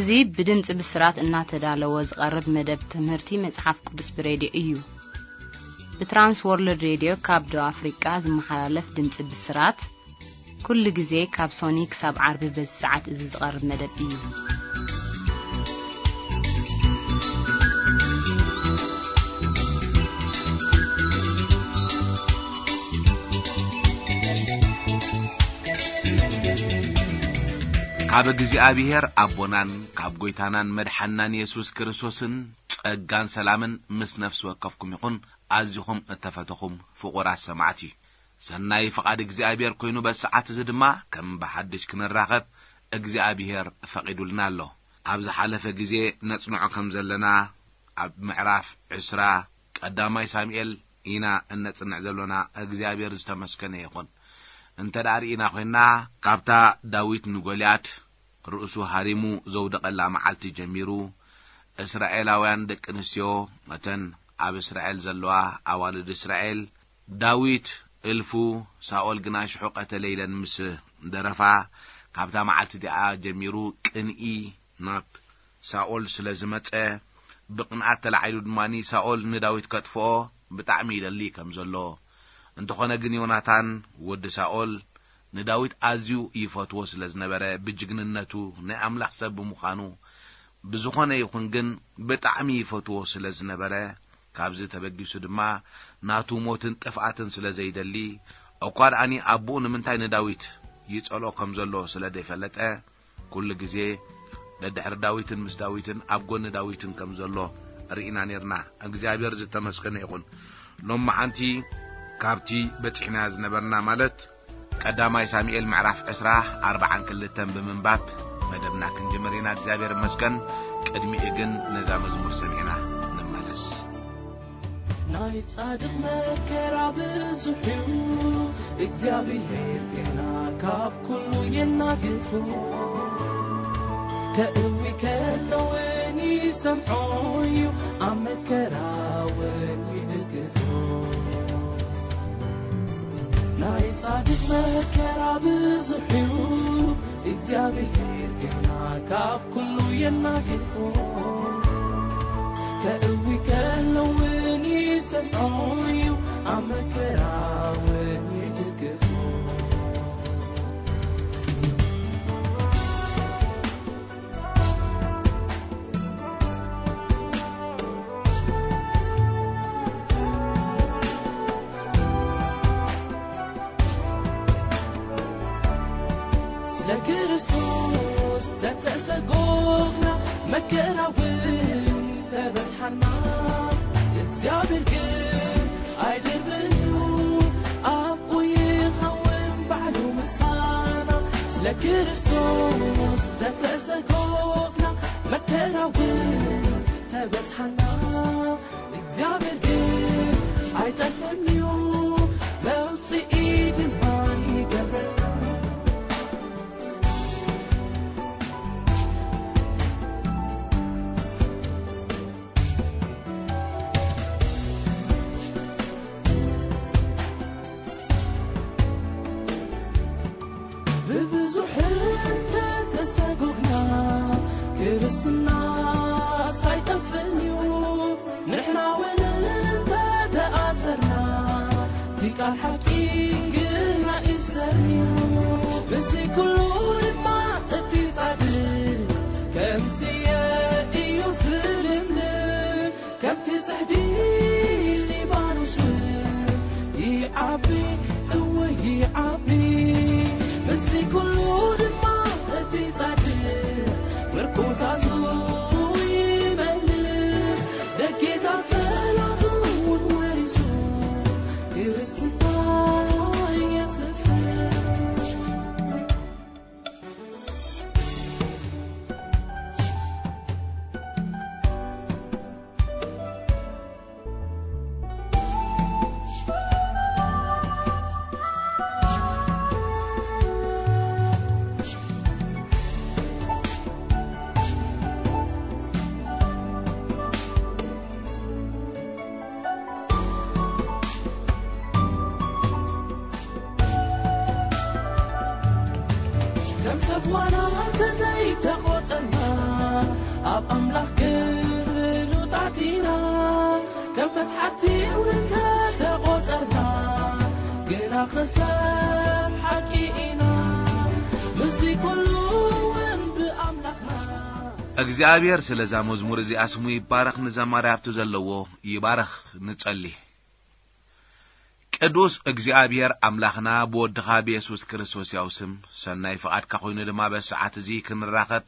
እዚ ብድምጺ ብስራት እናተዳለወ ዝቐርብ መደብ ትምህርቲ መጽሓፍ ቅዱስ ብሬድዮ እዩ። ብትራንስ ወርልድ ሬድዮ ካብ ደቡብ ኣፍሪቃ ዝመሓላለፍ ድምጺ ብስራት፣ ኩሉ ግዜ ካብ ሶኒ ክሳብ ዓርቢ በዚ ሰዓት እዚ ዝቐርብ መደብ እዩ። ካብ እግዚኣብሔር ኣቦናን ካብ ጐይታናን መድሓንናን የሱስ ክርስቶስን ጸጋን ሰላምን ምስ ነፍሲ ወከፍኩም ይኹን። ኣዚኹም እተፈተኹም ፍቑራት ሰማዕቲ፣ ሰናይ ፍቓድ እግዚኣብሔር ኮይኑ፣ በዚ ሰዓት እዚ ድማ ከም ብሓድሽ ክንራኸብ እግዚኣብሔር ፈቒዱልና ኣሎ። ኣብ ዝሓለፈ ግዜ ነጽንዖ ከም ዘለና፣ ኣብ ምዕራፍ ዕስራ ቀዳማይ ሳሙኤል ኢና እነጽንዕ ዘሎና። እግዚኣብሔር ዝተመስገነ ይኹን። እንተ ደኣ ርኢና ኾይንና፣ ካብታ ዳዊት ንጎልያድ ርእሱ ሃሪሙ ዘውደቐላ መዓልቲ ጀሚሩ፣ እስራኤላውያን ደቂ ኣንስትዮ፣ እተን ኣብ እስራኤል ዘለዋ ኣዋልድ እስራኤል፣ ዳዊት እልፉ ሳኦል ግና ሽሑ ቀተለ ኢለን ምስ ደረፋ፣ ካብታ መዓልቲ እቲኣ ጀሚሩ ቅንኢ ናብ ሳኦል ስለ ዝመጸ፣ ብቕንኣት ተላዒሉ ድማ ሳኦል ንዳዊት ከጥፍኦ ብጣዕሚ ይደሊ ከም ዘሎ፣ እንተኾነ ግን ዮናታን ወዲ ሳኦል ንዳዊት ኣዝዩ ይፈትዎ ስለ ዝነበረ፣ ብጅግንነቱ፣ ናይ ኣምላኽ ሰብ ብምዃኑ፣ ብዝኾነ ይኹን ግን ብጣዕሚ ይፈትዎ ስለ ዝነበረ፣ ካብዚ ተበጊሱ ድማ ናቱ ሞትን ጥፍኣትን ስለ ዘይደሊ፣ እኳ ደኣኒ ኣቦኡ ንምንታይ ንዳዊት ይጸልኦ ከም ዘሎ ስለ ዘይፈለጠ፣ ኩሉ ግዜ ደድሕሪ ዳዊትን ምስ ዳዊትን ኣብ ጎኒ ዳዊትን ከም ዘሎ ርኢና ኔርና። እግዚኣብሔር ዝተመስገነ ይኹን። ሎም መዓንቲ ካብቲ በጺሕና ዝነበርና፣ ማለት ቀዳማይ ሳሙኤል ምዕራፍ ዕስራ ኣርባዓን ክልተን ብምንባብ መደብና ክንጅምር ኢና። እግዚኣብሔር ይመስገን። ቅድሚኡ ግን ነዛ መዝሙር ሰሚዕና ንመለስ። ናይ ጻድቕ መከራ ብዙሕ እዩ፣ እግዚኣብሔር ግና ካብ ኩሉ የናግፎ። ከእዊ ከሎ እውን ይሰምዖ እዩ፣ ኣብ መከራ እውን ይድግፎ። ናይ ጻድቕ መከራ ብዙሕ እዩ፣ እግዚኣብሔር ግና ካብ ኩሉ የናግፎ። ከእዊ ከሎ እውን ይሰምዖ እዩ፣ ኣብ መከራ እውን ይድግፎ። ስለ ክርስቶስ ተተሰጎግና፣ መከራ እውን ተበዝሓና፣ እግዚኣብሔር ግን ኣይድብርን እዩ፣ ኣብኡ ይኸውን ባዕሉ ምሳና። ስለ ክርስቶስ ተተሰጎግና፣ መከራ እውን ተበዝሓና፣ እግዚኣብሔር ግን ኣይጠልምን እዩ፣ መውጽኢ ድማ ይገብረና። ብብዙሕ እንተተሰጎግና፣ ክርስትና ሳይጠፍእን እዩ። ንሕና እውን እንተተኣሰርና፣ እቲ ቃል ሓቂ ግና ይሰርኒ እዩ። ብዚ ኩሉ ድማ እቲ ጻድቅ ከም ስየ እዩ ዝልምልም፣ ከምቲ ጽሕዲ ሊባኖስ እውን ይዓቢ፣ እወ ይዓቢ። ብዚ ኩሉ ድማ እቲ ጻድቅ ብርኮታቱ ይመልስ፣ ደጌታ ጸላቱ እውን ወሪሱ ክርስትና የስፍር። ሰብ ዋላ እንተዘይተቖጸርና፣ ኣብ ኣምላኽ ግን ፍሉጣት ኢና። ከም መስሓቲ እውን እንተተቖጸርና፣ ግና ክሳብ ሓቂ ኢና። ምስዚ ኩሉ እውን ብኣምላኽና እግዚኣብሔር ስለዛ መዝሙር እዚኣ ስሙ ይባረኽ፣ ንዘማሪ ሃብቱ ዘለዎ ይባረኽ። ንጸሊ። ቅዱስ እግዚኣብሔር ኣምላኽና ብወድኻ ብየሱስ ክርስቶስ ያው ስም ሰናይ ፍቓድካ ኮይኑ ድማ በዚ ሰዓት እዚ ክንራኸብ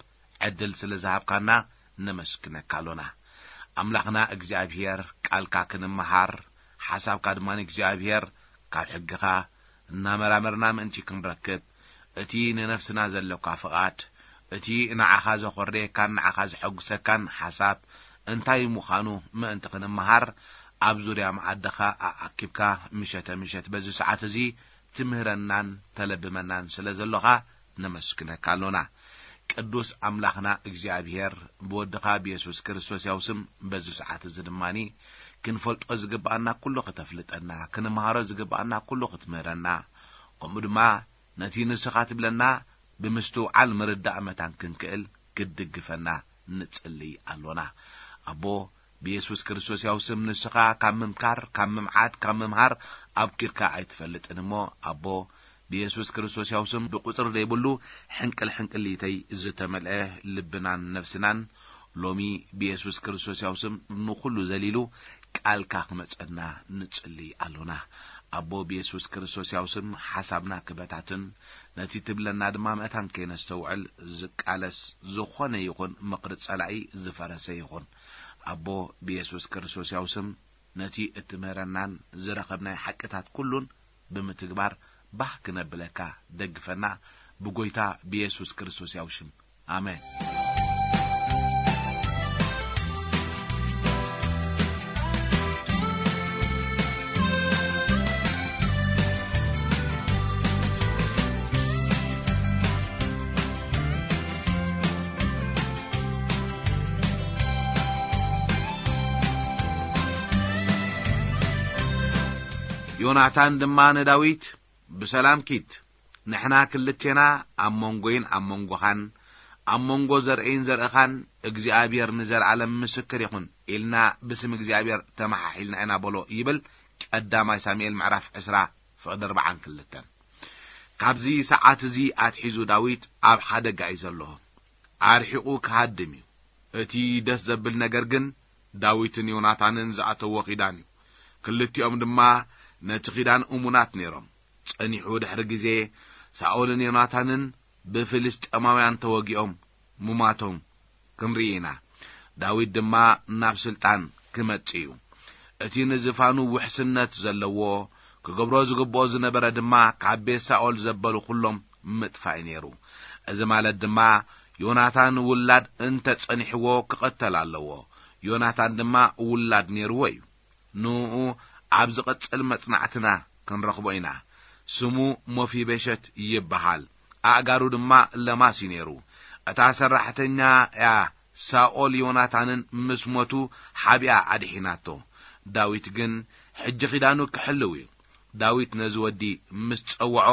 ዕድል ስለ ዝሃብካና ነመስግነካ ኣሎና። ኣምላኽና እግዚኣብሔር ቃልካ ክንመሃር ሓሳብካ ድማ እግዚኣብሔር ካብ ሕግኻ እናመራመርና ምእንቲ ክንረክብ እቲ ንነፍስና ዘለካ ፍቓድ እቲ ንዓኻ ዘኾርየካን ንዓኻ ዘሐጉሰካን ሓሳብ እንታይ ምዃኑ ምእንቲ ክንመሃር ኣብ ዙርያ መኣድኻ ኣኣኪብካ ምሸተ ምሸት በዚ ሰዓት እዚ ትምህረናን ተለብመናን ስለ ዘሎኻ ነመስግነካ ኣሎና። ቅዱስ ኣምላኽና እግዚኣብሔር ብወድኻ ብየሱስ ክርስቶስ ያው ስም በዚ ሰዓት እዚ ድማኒ ክንፈልጦ ዝግብኣና ኩሉ ክተፍልጠና፣ ክንምሃሮ ዝግብኣና ኩሉ ክትምህረና፣ ከምኡ ድማ ነቲ ንስኻ ትብለና ብምስትውዓል ምርዳእ መታን ክንክእል ክትድግፈና ንጽልይ ኣሎና። ኣቦ ብየሱስ ክርስቶስ ያው ስም ንስኻ ካብ ምምካር፣ ካብ ምምዓድ፣ ካብ ምምሃር ኣብኪርካ ኣይትፈልጥን እሞ ኣቦ ብየሱስ ክርስቶስ ያው ስም ብቁጽሪ ዘይብሉ ሕንቅል ሕንቅሊተይ ዝተመልአ ልብናን ነፍስናን ሎሚ ብየሱስ ክርስቶስ ያው ስም ንኹሉ ዘሊሉ ቃልካ ክመጸና ንጽልይ ኣሎና። ኣቦ ብየሱስ ክርስቶስ ያው ስም ሓሳብና ክበታትን ነቲ ትብለና ድማ መእታን ከይነስተውዕል ዝቃለስ ዝኾነ ይኹን ምኽሪ ጸላኢ ዝፈረሰ ይኹን። ኣቦ ብየሱስ ክርስቶስ ያው ስም ነቲ እትምህረናን ዝረኸብናይ ሓቅታት ኩሉን ብምትግባር ባህ ክነብለካ ደግፈና ብጎይታ ብየሱስ ክርስቶስ ያው ሽም። ኣሜን። ዮናታን ድማ ንዳዊት፣ ብሰላም ኪድ፣ ንሕና ክልቴና ኣብ መንጎይን ኣብ መንጎኻን ኣብ መንጎ ዘርእይን ዘርእኻን እግዚኣብሔር ንዘለኣለም ምስክር ይኹን ኢልና ብስም እግዚኣብሔር ተመሓሒልና ኢና በሎ ይብል ቀዳማይ ሳሙኤል ምዕራፍ ዕስራ ፍቕዲ ኣርባዓን ክልተን። ካብዚ ሰዓት እዚ ኣትሒዙ ዳዊት ኣብ ሓደጋ እዩ ዘሎ። ኣርሒቑ ክሃድም እዩ። እቲ ደስ ዘብል ነገር ግን ዳዊትን ዮናታንን ዝኣተዎ ኪዳን እዩ። ክልቲኦም ድማ ነቲ ኪዳን እሙናት ነይሮም። ጸኒሑ ድሕሪ ግዜ ሳኦልን ዮናታንን ብፍልስጤማውያን ተወጊኦም ምማቶም ክንርኢ ኢና። ዳዊት ድማ ናብ ስልጣን ክመጽእ እዩ። እቲ ንዝፋኑ ውሕስነት ዘለዎ ክገብሮ ዝግብኦ ዝነበረ ድማ ካብ ቤት ሳኦል ዘበሉ ኩሎም ምጥፋእ እዩ ነይሩ። እዚ ማለት ድማ ዮናታን ውላድ እንተ ጸኒሕዎ ክቐተል ኣለዎ። ዮናታን ድማ ውላድ ነይርዎ እዩ። ንኡ ኣብ ዝቐጽል መጽናዕትና ክንረኽቦ ኢና። ስሙ ሞፊቤሸት ይበሃል። ኣእጋሩ ድማ ለማስ እዩ ነይሩ። እታ ሰራሕተኛ እያ ሳኦል ዮናታንን ምስ ሞቱ ሓቢኣ ኣድሒናቶ። ዳዊት ግን ሕጂ ኪዳኑ ክሕልው እዩ። ዳዊት ነዚ ወዲ ምስ ጸውዖ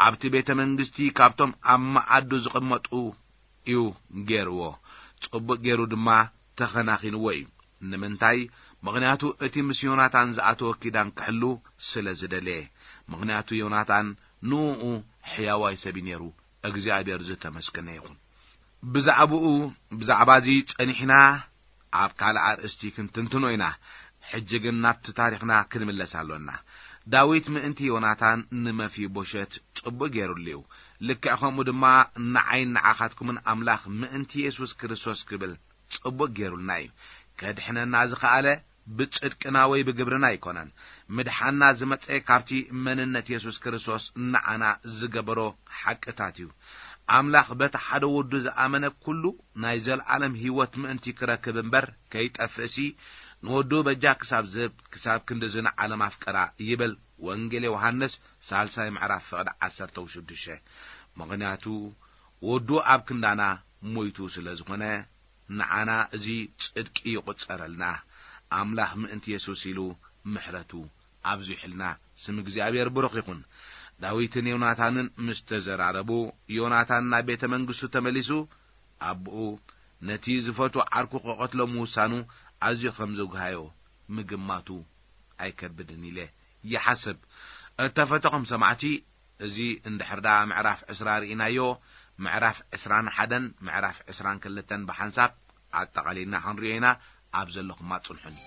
ኣብቲ ቤተ መንግስቲ ካብቶም ኣብ መኣዱ ዝቕመጡ እዩ ገይርዎ። ጽቡቕ ገይሩ ድማ ተኸናኺንዎ እዩ። ንምንታይ? ምኽንያቱ እቲ ምስ ዮናታን ዝኣተወ ኪዳን ክሕሉ ስለ ዝደለየ። ምኽንያቱ ዮናታን ንኡ ሕያዋይ ሰብ እዩ ነይሩ። እግዚኣብሔር ዝተመስገነ ይኹን። ብዛዕባኡ ብዛዕባ እዚ ጸኒሕና ኣብ ካልእ ኣርእስቲ ክንትንትኖ ኢና። ሕጂ ግን ናብቲ ታሪኽና ክንምለስ ኣሎና። ዳዊት ምእንቲ ዮናታን ንመፊቦሸት ጽቡቕ ገይሩሉ እዩ። ልክዕ ከምኡ ድማ ንዓይን ንዓኻትኩምን ኣምላኽ ምእንቲ የሱስ ክርስቶስ ክብል ጽቡቕ ገይሩልና እዩ። ከድሕነና ዝኸኣለ ብጽድቅና ወይ ብግብርና ኣይኮነን። ምድሓንና ዝመጸ ካብቲ መንነት የሱስ ክርስቶስ ንዓና ዝገበሮ ሓቅታት እዩ። ኣምላኽ በቲ ሓደ ወዱ ዝኣመነ ኩሉ ናይ ዘለኣለም ህይወት ምእንቲ ክረክብ እምበር ከይጠፍእሲ ንወዱ በጃ ክሳብ ዝህብ ክሳብ ክንድዚ ንዓለም ኣፍቀራ ይብል ወንጌል ዮሃንስ ሳልሳይ ምዕራፍ ፍቕዲ ዓሰርተ ሽዱሽተ። ምኽንያቱ ወዱ ኣብ ክንዳና ሞይቱ ስለ ዝኾነ ንዓና እዚ ጽድቂ ይቑጸረልና። ኣምላኽ ምእንቲ የሱስ ኢሉ ምሕረቱ ኣብዚሑልና ስም እግዚኣብሔር ብሩኽ ይኹን። ዳዊትን ዮናታንን ምስ ተዘራረቡ፣ ዮናታን ናብ ቤተ መንግስቱ ተመሊሱ፣ ኣቦኡ ነቲ ዝፈትዎ ዓርኩ ክቐትሎ ምውሳኑ ኣዝዩ ከም ዘጉሃዮ ምግማቱ ኣይከብድን ኢለ ይሓስብ። እተፈተኹም ሰማዕቲ፣ እዚ እንድሕር ደኣ ምዕራፍ ዕስራ ርኢናዮ፣ ምዕራፍ ዕስራን ሓደን ምዕራፍ ዕስራን ክልተን ብሓንሳብ ኣጠቓሊልና ክንሪኦ ኢና። ኣብ ዘለኹም ኣጽንሑኒ።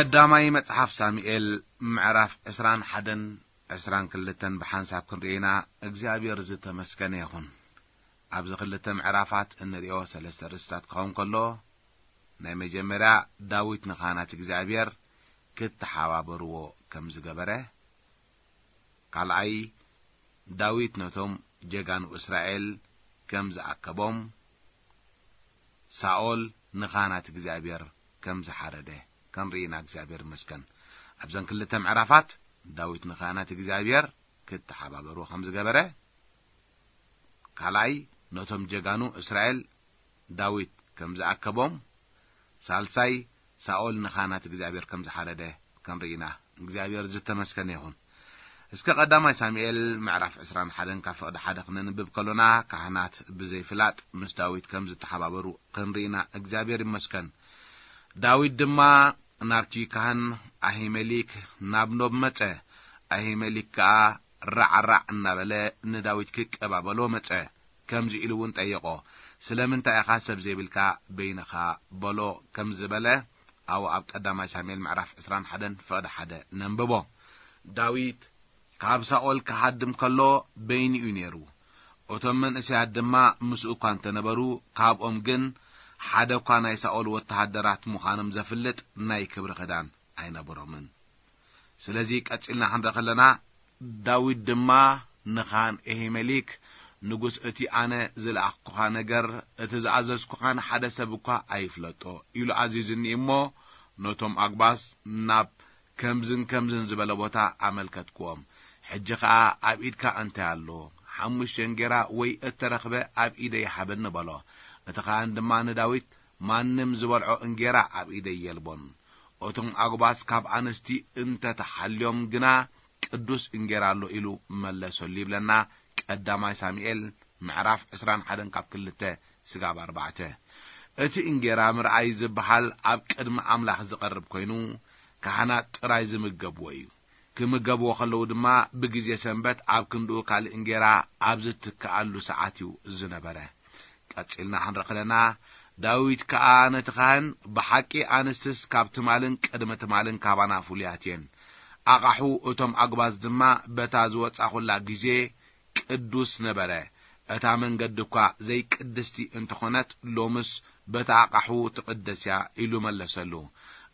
ቀዳማይ መጽሓፍ ሳሙኤል ምዕራፍ ዕስራን ሓደን ዕስራን ክልተን ብሓንሳብ ክንርኢ ኢና። እግዚኣብሔር ዝተመስገነ ይኹን። ኣብዚ ክልተ ምዕራፋት እንርእዮ ሰለስተ ርእስታት ክኸውን ከሎ፣ ናይ መጀመርያ ዳዊት ንካህናት እግዚኣብሔር ክተሓባበርዎ ከም ዝገበረ፣ ካልኣይ ዳዊት ነቶም ጀጋኑ እስራኤል ከም ዝኣከቦም፣ ሳኦል ንኻህናት እግዚኣብሔር ከም ዝሓረደ ክንርኢ ኢና። እግዚኣብሔር ይመስገን። ኣብዘን ክልተ ምዕራፋት ዳዊት ንኻህናት እግዚኣብሔር ክተሓባበሩ ከም ዝገበረ፣ ካልኣይ ነቶም ጀጋኑ እስራኤል ዳዊት ከም ዝኣከቦም፣ ሳልሳይ ሳኦል ንኻህናት እግዚኣብሔር ከም ዝሓረደ ክንርኢ ኢና። እግዚኣብሔር ዝተመስገነ ይኹን። እስከ ቀዳማይ ሳሙኤል ምዕራፍ ዕስራን ሓደን ካብ ፍቕዲ ሓደ ክነንብብ ከሎና፣ ካህናት ብዘይፍላጥ ምስ ዳዊት ከም ዝተሓባበሩ ክንርኢ ኢና። እግዚኣብሔር ይመስገን። ዳዊት ድማ ናብቲ ካህን ኣሂመሊክ ናብ ኖብ መጸ። ኣሂመሊክ ከኣ ራዕራዕ እናበለ ንዳዊት ክቀባበሎ መጸ። ከምዚ ኢሉ እውን ጠየቖ፣ "ስለምንታይ ኢኻ ሰብ ዘይብልካ በይንኻ በሎ?" ከም ዝበለ፣ ኣብኡ ኣብ ቀዳማይ ሳሙኤል ምዕራፍ ዕስራን ሓደን ፍቕዲ ሓደ ነንብቦ። ዳዊት ካብ ሳኦል ክሃድም ከሎ በይኑ እዩ ነይሩ። እቶም መንእሰያት ድማ ምስኡ እኳ እንተነበሩ፣ ካብኦም ግን ሓደ እኳ ናይ ሳኦል ወተሃደራት ምዃኖም ዘፍልጥ ናይ ክብሪ ክዳን ኣይነበሮምን። ስለዚ ቀጺልና ክንርኢ ከለና፣ ዳዊት ድማ ንኻን ኤሂመሊክ፣ "ንጉስ እቲ ኣነ ዝለኣኽኩኻ ነገር፣ እቲ ዝኣዘዝኩኻን ሓደ ሰብ እኳ ኣይፍለጦ" ኢሉ ኣዚዙኒ እሞ፣ ነቶም ኣጉባዝ ናብ ከምዝን ከምዝን ዝበለ ቦታ ኣመልከትክዎም። "ሕጂ ኸኣ ኣብ ኢድካ እንታይ ኣሎ? ሓሙሽተ እንጌራ ወይ እተረኽበ ኣብ ኢደይ ሃበኒ" በሎ። እቲ ኻህን ድማ ንዳዊት፣ "ማንም ዝበልዖ እንጌራ ኣብ ኢደይ የልቦን። እቶም ኣጉባዝ ካብ ኣንስቲ እንተ ተሓልዮም ግና ቅዱስ እንጌራ ኣሎ" ኢሉ መለሰሉ ይብለና ቀዳማይ ሳሙኤል ምዕራፍ ዕስራን ሓደን ካብ ክልተ ስጋብ ኣርባዕተ። እቲ እንጌራ ምርኣይ ዝበሃል ኣብ ቅድሚ ኣምላኽ ዝቐርብ ኮይኑ፣ ካህናት ጥራይ ዝምገብዎ እዩ። ክምገብዎ ከለዉ ድማ ብግዜ ሰንበት ኣብ ክንድኡ ካልእ እንጌራ ኣብ ዝትክኣሉ ሰዓት እዩ ዝነበረ። ቀጺልና ክንርኢ ከለና፣ ዳዊት ከኣ ነቲ ካህን፣ "ብሓቂ ኣንስትስ ካብ ትማልን ቅድሚ ትማልን ካባና ፍሉያት እየን። ኣቓሑ እቶም ኣጉባዝ ድማ በታ ዝወጻኹላ ግዜ ቅዱስ ነበረ። እታ መንገዲ እኳ ዘይቅድስቲ እንተኾነት፣ ሎምስ በታ ኣቓሑ ትቕደስ እያ" ኢሉ መለሰሉ።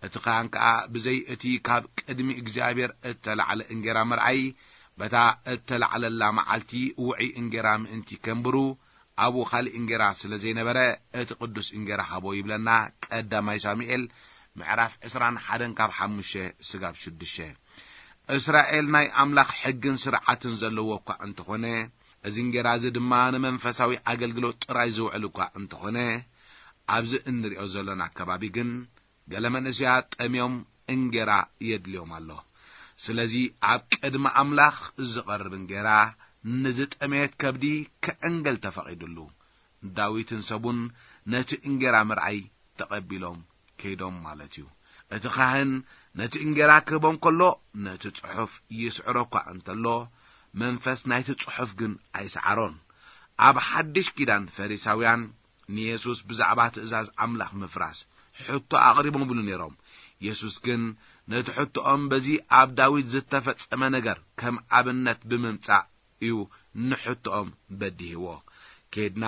እቲ ካህን ከኣ ብዘይ እቲ ካብ ቅድሚ እግዚኣብሔር እተላዕለ እንጌራ ምርኣይ፣ በታ እተላዕለላ መዓልቲ ውዑይ እንጌራ ምእንቲ ከንብሩ፣ ኣብኡ ካልእ እንጌራ ስለ ዘይነበረ፣ እቲ ቅዱስ እንጌራ ሃቦ ይብለና ቀዳማይ ሳሙኤል ምዕራፍ ዕስራን ሓደን ካብ ሓሙሽተ ስጋብ ሽዱሽተ። እስራኤል ናይ ኣምላኽ ሕግን ስርዓትን ዘለዎ እኳ እንተኾነ፣ እዚ እንጌራ እዚ ድማ ንመንፈሳዊ ኣገልግሎት ጥራይ ዝውዕል እኳ እንተኾነ፣ ኣብዚ እንሪኦ ዘሎና ኣከባቢ ግን ገለ መንእሰያት ጠምዮም እንጌራ የድልዮም ኣሎ። ስለዚ ኣብ ቅድሚ ኣምላኽ ዝቐርብ እንጌራ ንዝጠመየት ከብዲ ክዕንገል ተፈቒዱሉ። ዳዊትን ሰቡን ነቲ እንጌራ ምርኣይ ተቐቢሎም ከይዶም ማለት እዩ። እቲ ካህን ነቲ እንጌራ ክህቦም ከሎ፣ ነቲ ጽሑፍ ይስዕሮ እኳ እንተሎ፣ መንፈስ ናይቲ ጽሑፍ ግን ኣይሰዓሮን። ኣብ ሓድሽ ኪዳን ፈሪሳውያን ንየሱስ ብዛዕባ ትእዛዝ ኣምላኽ ምፍራስ ሕቶ ኣቕሪቦምሉ ነይሮም። የሱስ ግን ነቲ ሕቶኦም በዚ ኣብ ዳዊት ዝተፈጸመ ነገር ከም ኣብነት ብምምጻእ እዩ ንሕቶኦም በዲህዎ። ኬድና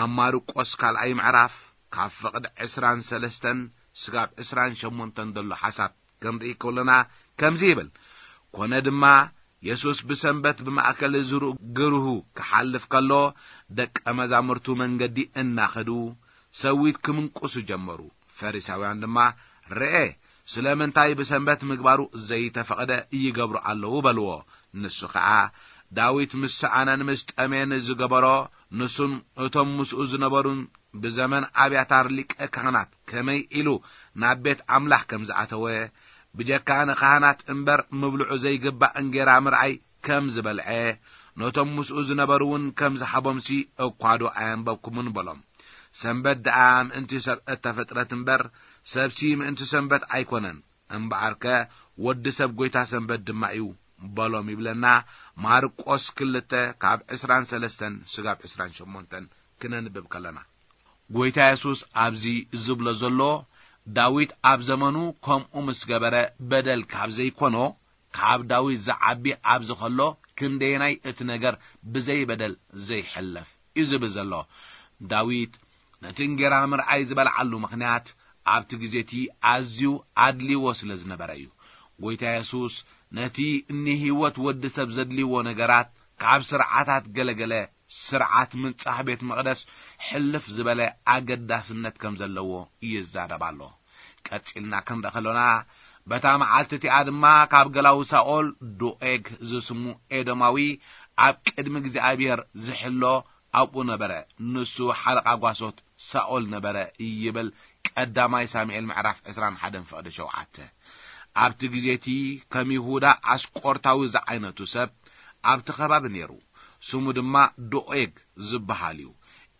ኣብ ማርቆስ ካልኣይ ምዕራፍ ካብ ፍቕዲ ዕስራን ሰለስተን ስጋብ ዕስራን ሸሞንተን ዘሎ ሓሳብ ክንርኢ ከሎና ከምዚ ይብል፣ "ኮነ ድማ የሱስ ብሰንበት ብማእከል ዝሩ-፣ ግርሁ ክሓልፍ ከሎ፣ ደቀ መዛሙርቱ መንገዲ እናኸዱ ሰዊት ክምንቁሱ ጀመሩ። ፈሪሳውያን ድማ፣ "ርኤ፣ ስለምንታይ ብሰንበት ምግባሩ ዘይተፈቕደ ይገብሩ ኣለዉ?" በልዎ። ንሱ ኸኣ፣ "ዳዊት ምስ ሰኣነን ምስ ጠሜን ዝገበሮ፣ ንሱን እቶም ምስኡ ዝነበሩን ብዘመን ኣብያታር ሊቀ ካህናት ከመይ ኢሉ ናብ ቤት ኣምላኽ ከም ዝኣተወ፣ ብጀካ ንካህናት እምበር ምብልዑ ዘይግባእ እንጌራ ምርኣይ ከም ዝበልዐ፣ ነቶም ምስኡ ዝነበሩ እውን ከም ዝሃቦምሲ እኳ ዶ ኣየንበብኩምን?" በሎም። ሰንበት ደኣ ምእንቲ ሰብ እተፈጥረት እምበር፣ ሰብሲ ምእንቲ ሰንበት ኣይኮነን። እምበኣርከ ወዲ ሰብ ጐይታ ሰንበት ድማ እዩ በሎም ይብለና ማርቆስ ክልተ ካብ ዕስራን ሰለስተን ስጋብ ዕስራን ሸሞንተን ክነንብብ ከለና። ጐይታ የሱስ ኣብዚ ዝብሎ ዘሎ፣ ዳዊት ኣብ ዘመኑ ከምኡ ምስ ገበረ በደል ካብ ዘይኮኖ፣ ካብ ዳዊት ዝዓቢ ኣብዚ ከሎ ክንደየናይ እቲ ነገር ብዘይ በደል ዘይሕለፍ እዩ ዝብል ዘሎ። ዳዊት ነቲ እንጌራ ምርኣይ ዝበልዓሉ ምኽንያት ኣብቲ ግዜ እቲ ኣዝዩ ኣድልይዎ ስለ ዝነበረ እዩ። ጐይታ የሱስ ነቲ ንህይወት ወዲ ሰብ ዘድልይዎ ነገራት ካብ ስርዓታት ገለገለ ስርዓት ምንጻህ ቤት መቕደስ ሕልፍ ዝበለ ኣገዳስነት ከም ዘለዎ ይዛረብ ኣሎ። ቀጺልና ክንርኢ ከሎና፣ በታ መዓልቲ እቲኣ ድማ ካብ ገላዊ ሳኦል ዶኤግ ዝስሙ ኤዶማዊ ኣብ ቅድሚ እግዚኣብሔር ዝሕሎ ኣብኡ ነበረ። ንሱ ሓለቓ ጓሶት ሳኦል ነበረ ይብል ቀዳማይ ሳሙኤል ምዕራፍ ዕስራን ሓደን ፍቕዲ ሸውዓተ። ኣብቲ ግዜ እቲ ከም ይሁዳ ኣስቆርታዊ ዝዓይነቱ ሰብ ኣብቲ ከባቢ ነይሩ። ስሙ ድማ ዶኤግ ዝበሃል እዩ።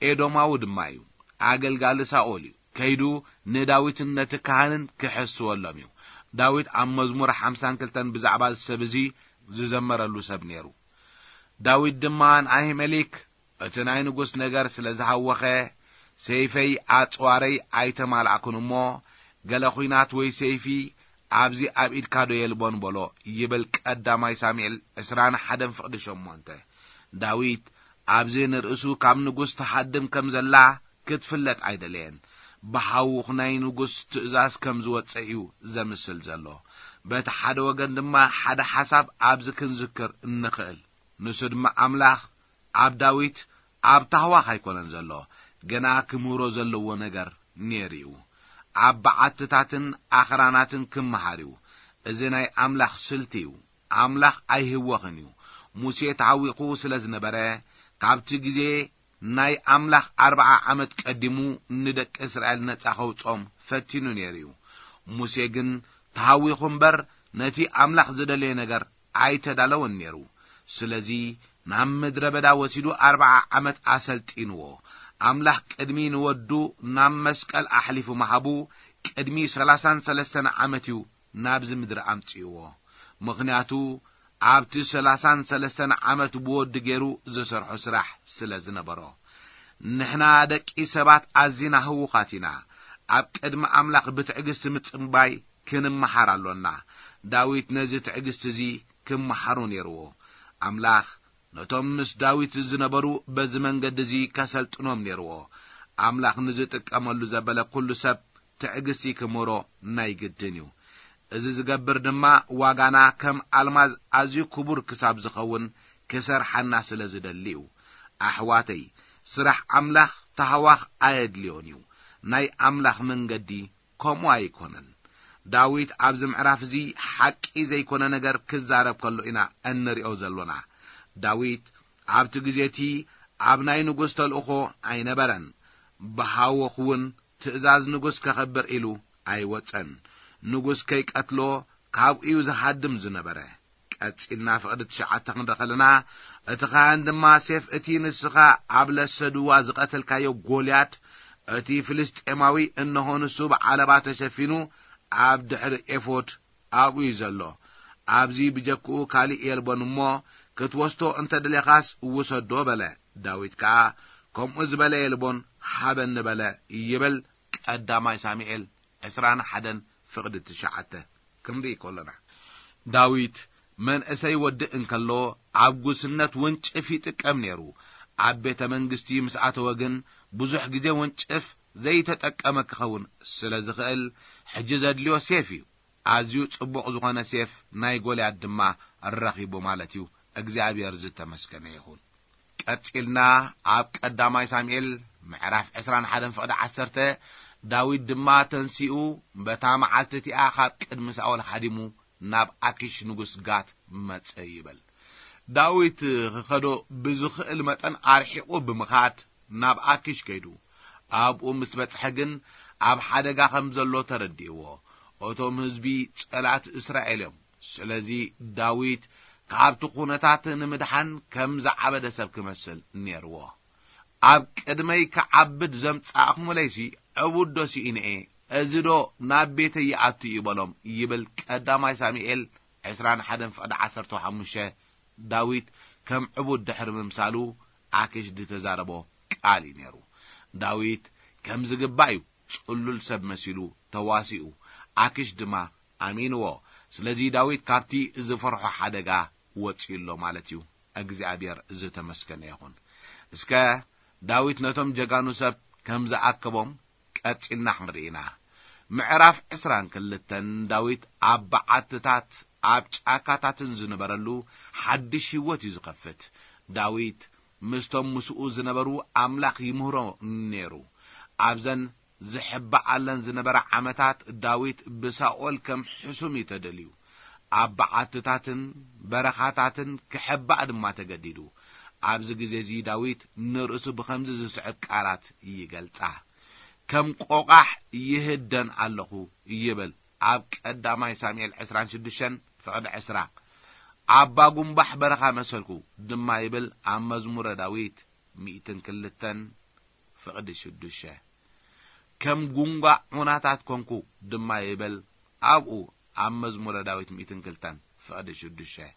ኤዶማዊ ድማ እዩ። ኣገልጋሊ ሳኦል እዩ። ከይዱ ንዳዊትን ነቲ ካህንን ክሕስወሎም እዩ። ዳዊት ኣብ መዝሙር ሓምሳን ክልተን ብዛዕባ እዚ ሰብ እዚ ዝዘመረሉ ሰብ ነይሩ። ዳዊት ድማ ንኣሂመሊክ፣ "እቲ ናይ ንጉስ ነገር ስለ ዝሃወኸ፣ ሰይፈይ ኣጽዋረይ ኣይተማልኣኩን እሞ፣ ገለ ኹናት ወይ ሰይፊ ኣብዚ ኣብ ኢድካ ዶ የልቦን?" በሎ ይብል ቀዳማይ ሳሙኤል ዕስራን ሓደን ፍቕዲ ሸሞንተ። ዳዊት ኣብዚ ንርእሱ ካብ ንጉስ ትሃድም ከም ዘላ ክትፍለጥ ኣይደለየን። ብሃውኽ ናይ ንጉስ ትእዛዝ ከም ዝወጸ እዩ ዘምስል ዘሎ። በቲ ሓደ ወገን ድማ ሓደ ሓሳብ ኣብዚ ክንዝክር እንኽእል። ንሱ ድማ ኣምላኽ ኣብ ዳዊት ኣብ ታህዋኽ ኣይኮነን ዘሎ፣ ገና ክምህሮ ዘለዎ ነገር ነይሩ እዩ። ኣብ በዓትታትን ኣኽራናትን ክመሃር እዩ። እዚ ናይ ኣምላኽ ስልቲ እዩ። ኣምላኽ ኣይህወኽን እዩ። ሙሴ ተሃዊኹ ስለ ዝነበረ፣ ካብቲ ግዜ ናይ ኣምላኽ ኣርብዓ ዓመት ቀዲሙ ንደቂ እስራኤል ነጻ ከውጾም ፈቲኑ ነይሩ እዩ። ሙሴ ግን ተሃዊኹ እምበር፣ ነቲ ኣምላኽ ዝደለየ ነገር ኣይተዳለወን ነይሩ። ስለዚ ናብ ምድረ በዳ ወሲዱ ኣርብዓ ዓመት ኣሰልጢንዎ። ኣምላኽ ቅድሚ ንወዱ ናብ መስቀል ኣሕሊፉ ምሃቡ፣ ቅድሚ ሰላሳን ሰለስተን ዓመት እዩ ናብዚ ምድሪ ኣምጺእዎ። ምኽንያቱ ኣብቲ ሰላሳን ሰለስተን ዓመት ብወዱ ገይሩ ዝሰርሖ ስራሕ ስለ ዝነበሮ። ንሕና ደቂ ሰባት ኣዚና ህዉኻት ኢና። ኣብ ቅድሚ ኣምላኽ ብትዕግስቲ ምጽባይ ክንመሃር ኣሎና። ዳዊት ነዚ ትዕግስቲ እዚ ክመሃሮ ነይርዎ። ኣምላኽ ነቶም ምስ ዳዊት ዝነበሩ በዚ መንገዲ እዚ ከሰልጥኖም ነይርዎ። ኣምላኽ ንዝጥቀመሉ ዘበለ ኩሉ ሰብ ትዕግስቲ ክምህሮ ናይ ግድን እዩ። እዚ ዝገብር ድማ ዋጋና ከም ኣልማዝ ኣዝዩ ክቡር ክሳብ ዝኸውን ክሰርሓና ስለ ዝደሊ እዩ። ኣሕዋተይ፣ ስራሕ ኣምላኽ ታህዋኽ ኣየድልዮን እዩ። ናይ ኣምላኽ መንገዲ ከምኡ ኣይኮነን። ዳዊት ኣብዚ ምዕራፍ እዚ ሓቂ ዘይኮነ ነገር ክዛረብ ከሎ ኢና እንሪኦ ዘሎና። ዳዊት ኣብቲ ግዜ እቲ ኣብ ናይ ንጉስ ተልእኾ ኣይነበረን። ብሃወኽ እውን ትእዛዝ ንጉስ ከኸብር ኢሉ ኣይወጸን። ንጉስ ከይቀትሎ ካብኡ እዩ ዝሃድም ዝነበረ። ቀጺልና ፍቕዲ ትሽዓተ ክንርኢ ከለና፣ እቲ ካህን ድማ ሴፍ እቲ ንስኻ ኣብ ለሰድዋ ዝቐተልካዮ ጎልያድ፣ እቲ ፍልስጤማዊ፣ እንሆ ንሱ ብዓለባ ተሸፊኑ ኣብ ድሕሪ ኤፎድ ኣብኡ እዩ ዘሎ። ኣብዚ ብጀክኡ ካልእ የልቦን እሞ፣ ክትወስዶ እንተ ደሌኻስ ውሰዶ በለ። ዳዊት ከኣ፣ ከምኡ ዝበለ የልቦን፣ ሃበኒ በለ ይብል ቀዳማይ ሳሙኤል ዕስራን ሓደን ፍቕዲ ትሽዓተ ክንርኢ ከሎና፣ ዳዊት መንእሰይ ወዲ እንከሎ ኣብ ጉስነት ወንጭፍ ይጥቀም ነይሩ። ኣብ ቤተ መንግስቲ ምስ ኣተወ ግን ብዙሕ ግዜ ወንጭፍ ዘይተጠቀመ ክኸውን ስለ ዝኽእል፣ ሕጂ ዘድልዮ ሴፍ እዩ። ኣዝዩ ጽቡቕ ዝኾነ ሴፍ ናይ ጎልያድ ድማ ረኺቡ ማለት እዩ። እግዚኣብሔር ዝተመስገነ ይኹን። ቀጺልና ኣብ ቀዳማይ ሳሙኤል ምዕራፍ ዕስራን ሓደን ፍቕዲ ዓሰርተ፣ ዳዊት ድማ ተንሲኡ፣ በታ መዓልቲ እቲኣ ካብ ቅድሚ ሳኦል ሃዲሙ ናብ ኣኪሽ ንጉስ ጋት መጸ ይብል። ዳዊት ክኸዶ ብዝኽእል መጠን ኣርሒቑ ብምኻድ ናብ ኣኪሽ ከይዱ። ኣብኡ ምስ በጽሐ ግን ኣብ ሓደጋ ከም ዘሎ ተረዲእዎ። እቶም ህዝቢ ጸላት እስራኤል እዮም። ስለዚ ዳዊት ካብቲ ኩነታት ንምድሓን ከም ዝዓበደ ሰብ ክመስል ነይርዎ። ኣብ ቅድመይ ክዓብድ ዘምጻእኹምለይሲ ዕቡድ ዶ ስኢነ እየ? እዚ ዶ ናብ ቤተይ ይኣቱ እዩ በሎም ይብል ቀዳማይ ሳሙኤል ዕስራን ሓደን ፍቕዲ ዓሰርተ ሓሙሽተ። ዳዊት ከም ዕቡድ ድሕሪ ምምሳሉ ኣኪሽ ዝተዛረቦ ቃል እዩ ነይሩ። ዳዊት ከም ዝግባእ እዩ ጽሉል ሰብ መሲሉ ተዋሲኡ። ኣኪሽ ድማ ኣሚንዎ። ስለዚ ዳዊት ካብቲ ዝፈርሖ ሓደጋ ወጺኡ ኣሎ ማለት እዩ። እግዚኣብሔር ዝተመስገነ ይኹን። እስከ ዳዊት ነቶም ጀጋኑ ሰብ ከም ዝኣከቦም ቀጺልና ክንርኢ ኢና። ምዕራፍ ዕስራን ክልተን ዳዊት ኣብ በዓትታት ኣብ ጫካታትን ዝነበረሉ ሓድሽ ህይወት እዩ ዝኸፍት። ዳዊት ምስቶም ምስኡ ዝነበሩ ኣምላኽ ይምህሮ ነይሩ። ኣብዘን ዝሕባኣለን ዝነበራ ዓመታት ዳዊት ብሳኦል ከም ሕሱም እዩ ተደልዩ። ኣብ በዓትታትን በረኻታትን ክሕባእ ድማ ተገዲዱ። ኣብዚ ግዜ እዚ ዳዊት ንርእሱ ብኸምዚ ዝስዕብ ቃላት ይገልጻ። ከም ቆቓሕ ይህደን ኣለኹ ይብል ኣብ ቀዳማይ ሳሙኤል ዕስራን ሽዱሽተን ፍቕዲ ዕስራ። ኣባ ጉንባሕ በረኻ መሰልኩ ድማ ይብል ኣብ መዝሙረ ዳዊት ሚእትን ክልተን ፍቕዲ ሽዱሽተ። ከም ጉንጓ ዑናታት ኮንኩ ድማ ይብል ኣብኡ ኣብ መዝሙረ ዳዊት ሚእትን ክልተን ፍቕዲ ሽዱሽተ።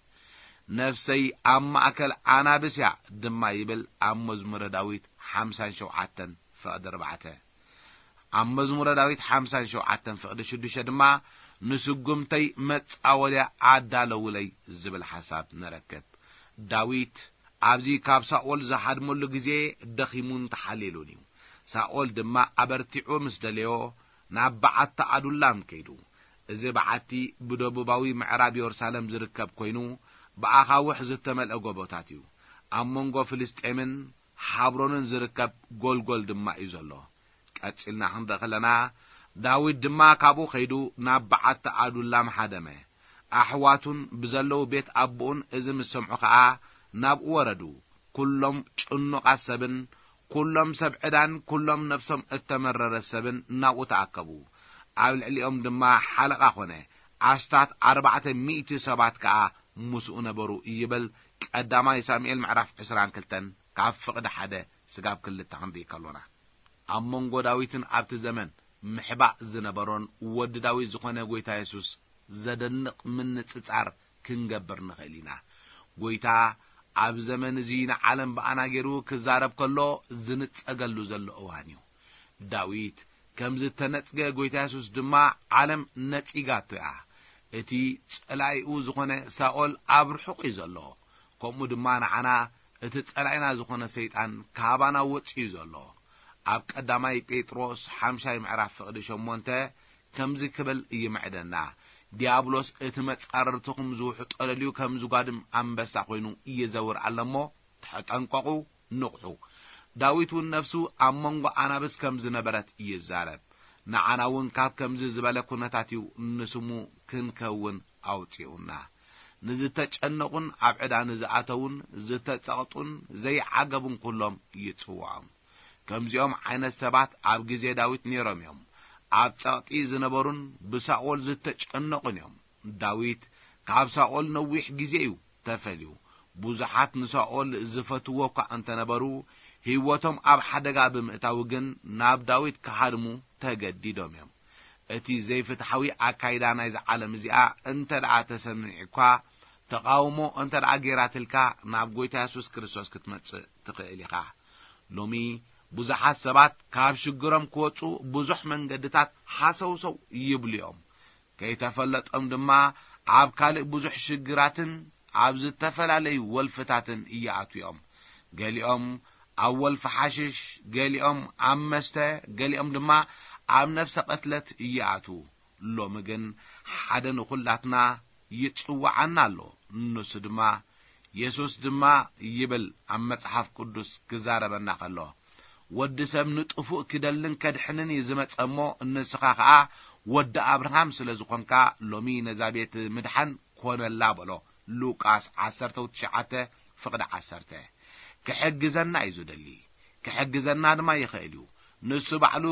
ነፍሰይ ኣብ ማእከል ኣናብስ እያ ድማ ይብል ኣብ መዝሙረ ዳዊት ሓምሳን ሸውዓተን ፍቕዲ ኣርባዕተ። ኣብ መዝሙረ ዳዊት ሓምሳን ሸውዓተን ፍቕዲ ሽዱሽተ ድማ ንስጉምተይ መጻወድያ ኣዳለውለይ ዝብል ሓሳብ ንረክብ። ዳዊት ኣብዚ ካብ ሳኦል ዝሃድመሉ ግዜ ደኺሙን ተሓሊሉን እዩ። ሳኦል ድማ ኣበርቲዑ ምስ ደለዮ ናብ በዓቲ ኣዱላም ከይዱ። እዚ በዓቲ ብደቡባዊ ምዕራብ የሩሳሌም ዝርከብ ኮይኑ ብኣኻውሕ ዝተመልአ ጎቦታት እዩ። ኣብ መንጎ ፍልስጤምን ሓብሮንን ዝርከብ ጎልጎል ድማ እዩ ዘሎ። ቀጺልና ክንርኢ ከለና ዳዊት ድማ ካብኡ ከይዱ ናብ በዓቲ ኣዱላም ሃደመ። ኣሕዋቱን ብዘለዉ ቤት ኣቦኡን እዚ ምስ ሰምዑ ኸኣ ናብኡ ወረዱ። ኩሎም ጭኑቓት ሰብን ኩሎም ሰብ ዕዳን ኩሎም ነፍሶም እተመረረ ሰብን ናብኡ ተኣከቡ። ኣብ ልዕሊኦም ድማ ሓለቓ ኾነ። ኣስታት ኣርባዕተ ሚእቲ ሰባት ከኣ ምስኡ ነበሩ ይብል ቀዳማይ ሳሙኤል ምዕራፍ ዕስራን ክልተን ካብ ፍቕዲ ሓደ ስጋብ ክልተ ክንርኢ ከሎና። ኣብ መንጎ ዳዊትን ኣብቲ ዘመን ምሕባእ ዝነበሮን ወዲ ዳዊት ዝኾነ ጎይታ የሱስ ዘደንቕ ምንጽጻር ክንገብር ንኽእል ኢና። ጎይታ ኣብ ዘመን እዚ ንዓለም ብኣና ገይሩ ክዛረብ ከሎ ዝንጸገሉ ዘሎ እዋን እዩ። ዳዊት ከም ዝተነጽገ ጎይታ የሱስ ድማ ዓለም ነጺጋቶ እያ። እቲ ጸላኢኡ ዝኾነ ሳኦል ኣብ ርሑቕ እዩ ዘሎ። ከምኡ ድማ ንዓና እቲ ጸላኢና ዝኾነ ሰይጣን ካባና ወጺኡ ዘሎ። ኣብ ቀዳማይ ጴጥሮስ ሓምሻይ ምዕራፍ ፍቕዲ ሸሞንተ ከምዚ ክብል ይምዕደና፣ ዲያብሎስ እቲ መጻርርትኹም ዝውሕጦ ደልዩ ከም ዝጓድም ኣንበሳ ኮይኑ ይዘውር ኣሎ እሞ ተጠንቀቑ፣ ንቕሑ። ዳዊት እውን ነፍሱ ኣብ መንጎ ኣናብስ ከም ዝነበረት ይዛረብ። ንዓና እውን ካብ ከምዚ ዝበለ ኩነታት እዩ ንስሙ ክንከውን ኣውጺኡና። ንዝተጨነቑን ኣብ ዕዳ ንዝኣተውን ዝተጸቕጡን ዘይዓገቡን ኩሎም ይጽውዖም። ከምዚኦም ዓይነት ሰባት ኣብ ግዜ ዳዊት ነይሮም እዮም። ኣብ ጸቕጢ ዝነበሩን ብሳኦል ዝተጨነቑን እዮም። ዳዊት ካብ ሳኦል ነዊሕ ግዜ እዩ ተፈልዩ። ብዙሓት ንሳኦል ዝፈትዎ እኳ እንተነበሩ፣ ህይወቶም ኣብ ሓደጋ ብምእታው ግን ናብ ዳዊት ክሃድሙ ተገዲዶም እዮም። እቲ ዘይፍትሓዊ ኣካይዳ ናይዛ ዓለም እዚኣ እንተ ደኣ ተሰሚዑ እኳ፣ ተቓውሞ እንተ ደኣ ጌራትልካ፣ ናብ ጎይታ የሱስ ክርስቶስ ክትመጽእ ትኽእል ኢኻ። ሎሚ ብዙሓት ሰባት ካብ ሽግሮም ክወጹ ብዙሕ መንገድታት ሃሰውሰው ይብሉ እዮም። ከይተፈለጦም ድማ ኣብ ካልእ ብዙሕ ሽግራትን ኣብ ዝተፈላለዩ ወልፍታትን ይኣትዉ እዮም። ገሊኦም ኣብ ወልፊ ሓሽሽ፣ ገሊኦም ኣብ መስተ፣ ገሊኦም ድማ ኣብ ነፍሰ ቅትለት ይኣትዉ። ሎሚ ግን ሓደ ንኹላትና ይጽውዓና ኣሎ። ንሱ ድማ፣ የሱስ ድማ ይብል ኣብ መጽሓፍ ቅዱስ ክዛረበና ከሎ፣ ወዲ ሰብ ንጥፉእ ክደልን ከድሕንን እዩ ዝመጸ እሞ፣ ንስኻ ኸኣ ወዲ ኣብርሃም ስለ ዝኾንካ፣ ሎሚ ነዛ ቤት ምድሓን ኮነላ በሎ። ሉቃስ ዓሰርተ ትሽዓተ ፍቕዲ ዓሰርተ። ክሕግዘና እዩ ዝደሊ። ክሕግዘና ድማ ይኽእል እዩ። ንሱ ባዕሉ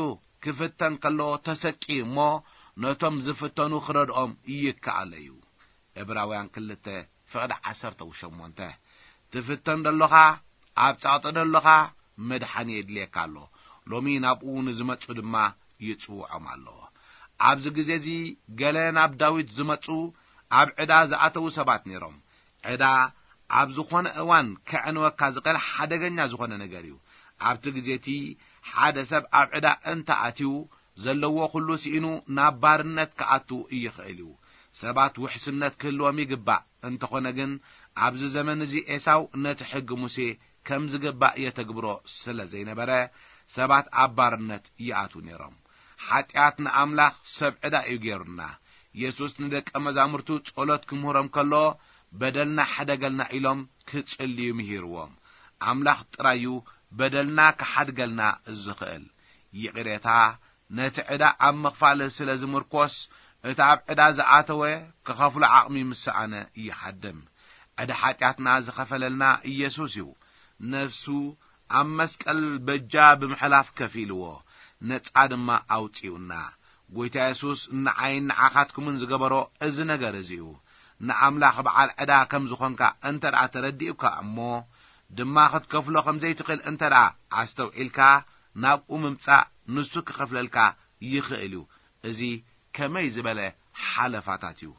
ክፍተን ከሎ ተሰቅዩ እሞ፣ ነቶም ዝፍተኑ ክረድኦም ይከኣሎ እዩ። ዕብራውያን ክልተ ፍቕዲ ዓሰርተ ሸሞንተ። ትፍተን ደሎኻ፣ ኣብ ጸቕጢ ደሎኻ፣ መድሓኒ የድልየካ ኣሎ። ሎሚ ናብኡ ንዝመጹ ድማ ይጽውዖም ኣሎ። ኣብዚ ግዜ እዚ ገለ ናብ ዳዊት ዝመጹ ኣብ ዕዳ ዝኣተዉ ሰባት ነይሮም። ዕዳ ኣብ ዝኾነ እዋን ከዕንወካ ዝኽእል ሓደገኛ ዝኾነ ነገር እዩ። ኣብቲ ግዜ እቲ ሓደ ሰብ ኣብ ዕዳ እንተ ኣትዩ፣ ዘለዎ ኩሉ ስኢኑ ናብ ባርነት ክኣቱ ይኽእል እዩ። ሰባት ውሕስነት ክህልዎም ይግባእ። እንተኾነ ግን፣ ኣብዚ ዘመን እዚ ኤሳው ነቲ ሕጊ ሙሴ ከም ዝግባእ የተግብሮ ስለ ዘይነበረ፣ ሰባት ኣብ ባርነት ይኣትዉ ነይሮም። ሓጢኣት ንኣምላኽ ሰብ ዕዳ እዩ ገይሩና። የሱስ ንደቀ መዛሙርቱ ጸሎት ክምህሮም ከሎ፣ በደልና ሕደገልና ኢሎም ክጽልዩ ምሂርዎም። ኣምላኽ ጥራይ እዩ በደልና ክሓድገልና ዝኽእል። ይቕሬታ ነቲ ዕዳ ኣብ ምኽፋል ስለ ዝምርኮስ፣ እቲ ኣብ ዕዳ ዝኣተወ ክኸፍሎ ዓቕሚ ምስ ሰኣነ ይሃድም። ዕዳ ሓጢኣትና ዝኸፈለልና ኢየሱስ እዩ። ነፍሱ ኣብ መስቀል በጃ ብምሕላፍ ከፊልዎ፣ ነጻ ድማ ኣውጺኡና። ጐይታ የሱስ ንዓይን ንዓኻትኩምን ዝገበሮ እዚ ነገር እዚ እዩ። ንኣምላኽ በዓል ዕዳ ከም ዝኾንካ እንተ ደኣ ተረዲኡካ እሞ፣ ድማ ክትከፍሎ ከም ዘይትኽእል እንተ ደኣ ኣስተውዒልካ፣ ናብኡ ምምጻእ ንሱ ክኸፍለልካ ይኽእል እዩ። እዚ ከመይ ዝበለ ሓለፋታት እዩ!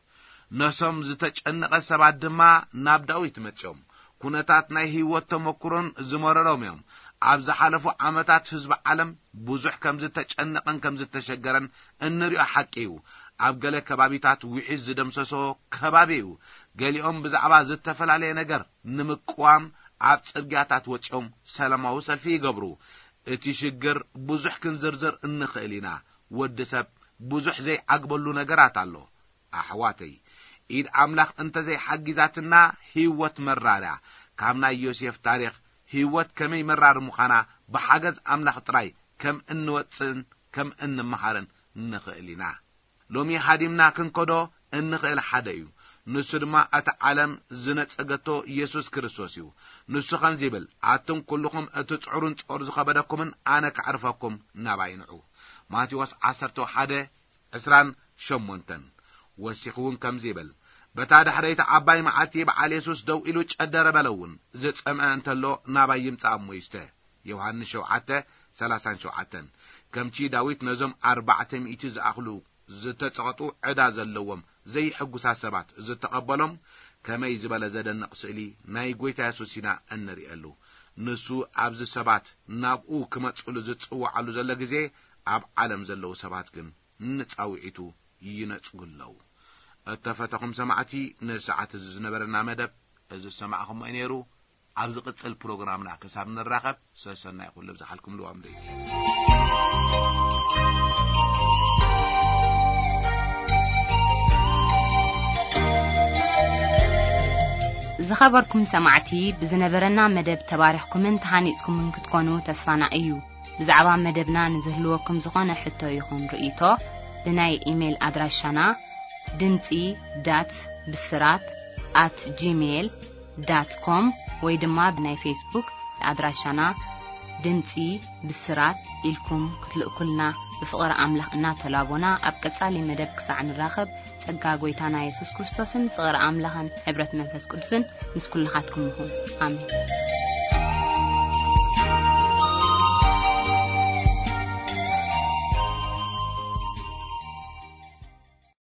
ነሶም ዝተጨነቐ ሰባት ድማ ናብ ዳዊት መጺኦም። ኩነታት ናይ ህይወት ተመኩሮን ዝመረሮም እዮም። ኣብ ዝሓለፉ ዓመታት ህዝቢ ዓለም ብዙሕ ከም ዝተጨነቐን ከም ዝተሸገረን እንሪኦ ሓቂ እዩ። ኣብ ገለ ከባቢታት ውሒዝ ዝደምሰሶ ከባቢ እዩ። ገሊኦም ብዛዕባ ዝተፈላለየ ነገር ንምቅዋም ኣብ ጽርግያታት ወጺኦም ሰላማዊ ሰልፊ ይገብሩ። እቲ ሽግር ብዙሕ ክንዝርዝር እንኽእል ኢና። ወዲ ሰብ ብዙሕ ዘይዓግበሉ ነገራት ኣሎ። ኣሕዋተይ፣ ኢድ ኣምላኽ እንተ ዘይሓጊዛትና፣ ህይወት መራር እያ። ካብ ናይ ዮሴፍ ታሪኽ፣ ህይወት ከመይ መራር ምዃና ብሓገዝ ኣምላኽ ጥራይ ከም እንወጽእን ከም እንመሃርን ንኽእል ኢና። ሎሚ ሃዲምና ክንከዶ እንኽእል ሓደ እዩ። ንሱ ድማ እታ ዓለም ዝነጸገቶ የሱስ ክርስቶስ እዩ። ንሱ ከምዚ ይብል፣ ኣቱም ኩልኹም እትጽዕሩን ጾር ዝኸበደኩምን ኣነ ከዕርፈኩም ናባይ ንዑ። ማቴዎስ ዓሰርተ ሓደ ዕስራን ሸሞንተን። ወሲኹ እውን ከምዚ ይብል፣ በታ ዳሕረይቲ ዓባይ መዓልቲ በዓል የሱስ ደው ኢሉ ጨደረ በለ እውን፣ ዝጸምአ እንተሎ ናባይ ይምጻእ እሞ ይስተ። ዮሃንስ ሸውዓተ ሰላሳን ሸውዓተን። ከምቲ ዳዊት ነዞም ኣርባዕተ ሚእቲ ዝኣኽሉ ዝተጸቐጡ ዕዳ ዘለዎም ዘይሕጉሳት ሰባት ዝተቐበሎም፣ ከመይ ዝበለ ዘደንቕ ስእሊ ናይ ጐይታ የሱስ ኢና እንርእየሉ። ንሱ ኣብዚ ሰባት ናብኡ ክመጽሉ ዝጽውዓሉ ዘሎ ግዜ፣ ኣብ ዓለም ዘለዉ ሰባት ግን ንጻውዒቱ ይነጽጉ ኣለዉ። እተፈተኹም ሰማዕቲ፣ ንሰዓት እዚ ዝነበረና መደብ እዚ ዝሰማዕኹሞ እዩ ነይሩ። ኣብ ዝቕጽል ፕሮግራምና ክሳብ ንራኸብ፣ ሰሰናይ ኩሉ ብዝሓልኩም ልዋም ደዩ። ዝኸበርኩም ሰማዕቲ፣ ብዝነበረና መደብ ተባሪኽኩምን ተሃኒጽኩምን ክትኮኑ ተስፋና እዩ። ብዛዕባ መደብና ንዝህልወኩም ዝኾነ ሕቶ ይኹን ርእይቶ፣ ብናይ ኢሜይል ኣድራሻና ድምጺ ዳት ብስራት ኣት ጂሜይል ዳት ኮም ወይ ድማ ብናይ ፌስቡክ ኣድራሻና ድምጺ ብስራት ኢልኩም ክትልእኩልና ብፍቕሪ ኣምላኽ እናተላቦና፣ ኣብ ቀጻሊ መደብ ክሳዕ ንራኸብ፣ ጸጋ ጐይታና የሱስ ክርስቶስን ፍቕሪ ኣምላኽን ሕብረት መንፈስ ቅዱስን ምስ ኩልኻትኩም ይኹን። ኣሜን።